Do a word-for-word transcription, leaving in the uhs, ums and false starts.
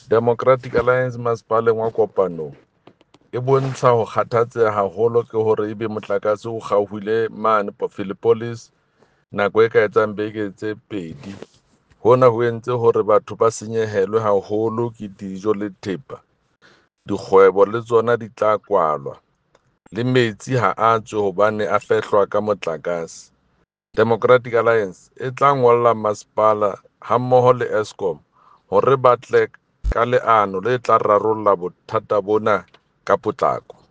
Democratic Alliance masepaleng wa Kopanong e bontsha ho kgathatseha haholo ke hore ebe motlakase o kgaohile mane Philippolis nako e ka etsang beke tse pedi. Hona ho entse hore batho ba senyehelwe haholo ke dijo le thepa. Dikgwebo le tsona di tla kwalwa le metsi ha a tswe hobane a fehlwa ka motlakase. Democratic Alliance e tla ngolla masepala hammoho le Eskom hore ba tle ka leano le tla rarolla bothata bona ka potlako.